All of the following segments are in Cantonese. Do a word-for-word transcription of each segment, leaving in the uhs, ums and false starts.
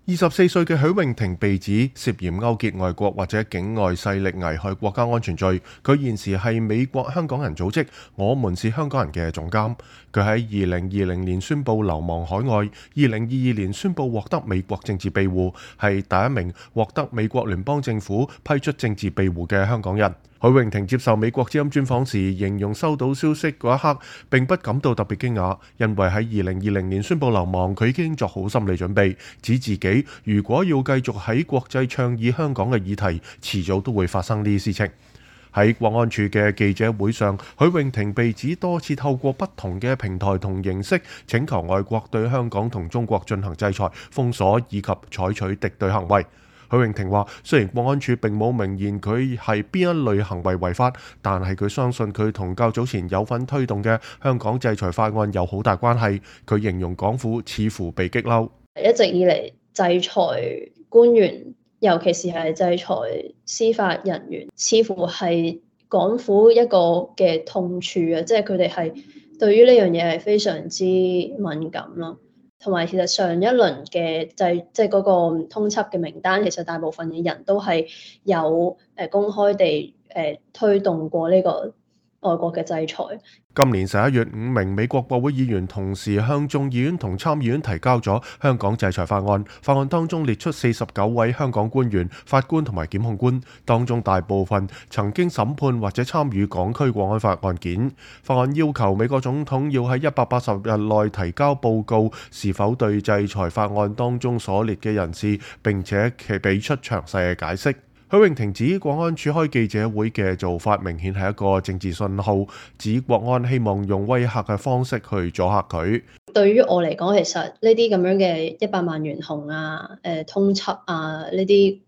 二十四歲嘅許穎婷被指涉嫌勾結外國或者境外勢力危害國家安全罪。佢現時係美國香港人組織我們是香港人嘅總監。佢喺二零二零年宣布流亡海外，二零二二年宣布獲得美國政治庇護，係第一名獲得美國聯邦政府批出政治庇護嘅香港人。許穎婷接受美國之音專訪時，形容收到消息嗰一刻並不感到特別驚訝，因為喺二零二零年宣布流亡，佢已經作好心理準備，指自己如果要繼續喺國際倡議香港嘅議題，遲早都會發生呢啲事情。喺國安處嘅記者會上，許穎婷被指多次透過不同嘅平台同形式請求外國對香港同中國進行制裁、封鎖以及採取敵對行為。許穎婷話：雖然國安處並冇明言佢係邊一類行為違法，但係佢相信佢同較早前有份推動嘅香港制裁法案有好大關係。佢形容港府似乎被激嬲，一直以嚟制裁官員，尤其是係制裁司法人員，似乎係港府一個嘅痛處啊！即係佢哋係對於呢樣嘢係非常之敏感咯。同埋其實上一輪嘅制即係嗰個通緝嘅名單，其實大部分嘅人都係有誒公開地誒推動過呢個外國嘅制裁。今年十一月，五名美國國會議員同時向眾議院同參議院提交咗香港制裁法案。法案當中列出四十九位香港官員、法官同埋檢控官，當中大部分曾經審判或者參與港區國安法案件。法案要求美國總統要喺一百八十日內提交報告，是否對制裁法案當中所列嘅人士，並且其俾出詳細嘅解釋。許穎婷指國安處開記者會嘅做法明顯係一個政治信號，指國安希望用威嚇嘅方式去阻嚇佢。對於我嚟講，其實呢啲咁樣嘅一百萬懸紅啊、誒、呃、通緝啊呢啲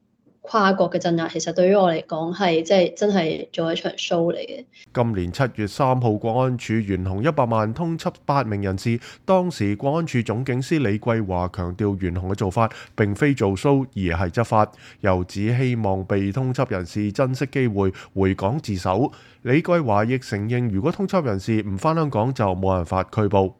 跨國嘅鎮壓，其實對於我嚟講係即係真係做一場 show 嚟嘅。今年七月三號，國安處懸紅一百萬通緝八名人士。當時國安處總警司李桂華強調，懸紅嘅做法並非做 show，而係執法，又指希望被通緝人士珍惜機會回港自首。李桂華亦承認，如果通緝人士唔返香港，就冇辦法拘捕。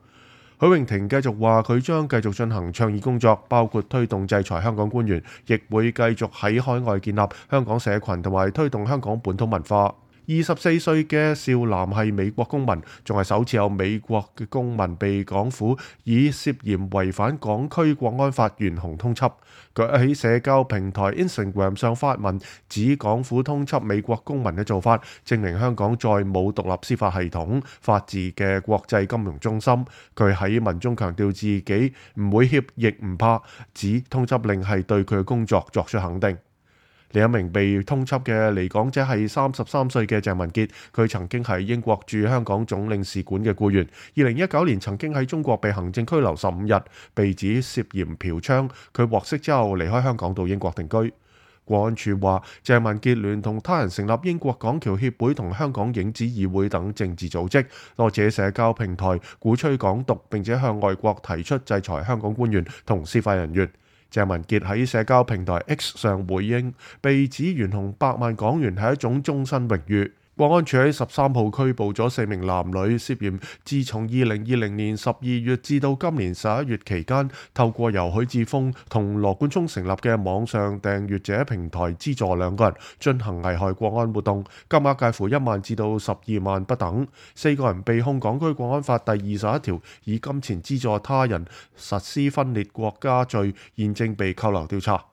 許穎婷繼續話，佢將繼續進行倡議工作，包括推動制裁香港官員，亦會繼續喺海外建立香港社群同埋推動香港本土文化。二十四歲嘅少男係美國公民，仲係首次有美國嘅公民被港府以涉嫌違反港區國安法懸紅通緝。佢喺社交平台 Instagram 上發文，指港府通緝美國公民嘅做法，證明香港再冇獨立司法系統、法治嘅國際金融中心。佢喺文中強調自己唔會怯亦唔怕，指通緝令係對佢嘅工作作出肯定。另一名被通緝嘅離港者係三十三歲嘅鄭文傑，佢曾經係英國駐香港總領事館嘅僱員，二零一九年曾經喺中國被行政拘留十五日，被指涉嫌嫖娼。佢獲釋之後離開香港到英國定居。國安處話，鄭文傑聯同他人成立英國港僑協會同香港影子議會等政治組織，多謝社交平台鼓吹港獨，並且向外國提出制裁香港官員同司法人員。鄭文傑喺社交平台 X 上回應，被指懸紅百萬港元係一種終身榮譽。國安處喺十三號拘捕咗四名男女，涉嫌自從二零二零年十二月至到今年十一月期間，透過由許智峰同羅冠聰成立嘅網上訂閱者平台資助兩個人進行危害國安活動，金額介乎一萬至到十二萬不等。四個人被控港區國安法第二十一條以金錢資助他人實施分裂國家罪，現正被扣留調查。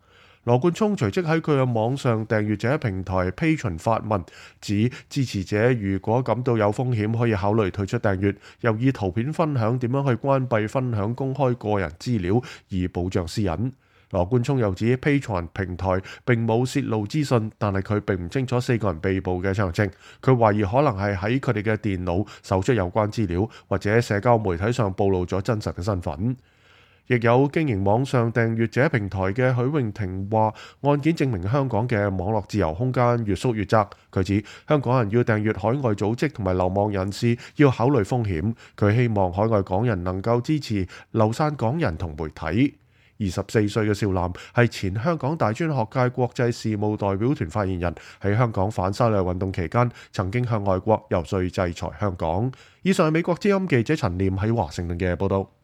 羅冠聰隨即喺佢嘅網上訂閱者平台 Patreon 發文，指支持者如果感到有風險，可以考慮退出訂閱，又以圖片分享點樣去關閉分享公開個人資料，以保障私隱。羅冠聰又指 Patreon 平台並冇泄露資訊，但係佢並唔清楚四個人被捕嘅詳情。佢懷疑可能係喺佢哋嘅電腦搜出有關資料，或者社交媒體上暴露咗真實嘅身份。亦有經營網上訂閱者平台嘅許穎婷話，案件證明香港嘅網絡自由空間越縮越窄。佢指香港人要訂閱海外組織同埋流亡人士要考慮風險。佢希望海外港人能夠支持流散港人同媒體。二十四歲嘅少男係前香港大專學界國際事務代表團發言人，喺香港反修例運動期間曾經向外國遊說制裁香港。以上係美國之音記者陳念喺華盛頓嘅報道。